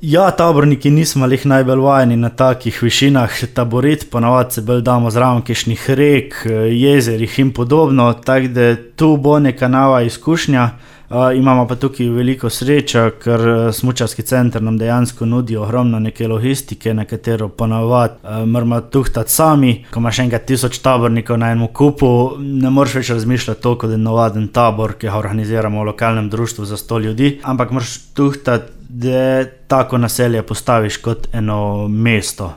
Ja, taborniki nismo lih najbolj vajeni na takih višinah taborit, ponavadi se bolj damo zraven kakšnih rek, jezerih in podobno, tako da tu bo neka nova izkušnja. Imamo pa tukaj veliko srečo, ker smučarski center nam dejansko nudi ogromno neke logistike, na katero ponavadi moramo tuhtati sami. Ko imaš enkrat 1000 tabornikov na enem kupu, ne moreš več razmišljati toliko, da je navaden tabor, ki ga organiziramo v lokalnem društvu za 100 ljudi, ampak moraš tuhtati, da tako naselje postaviš kot eno mesto.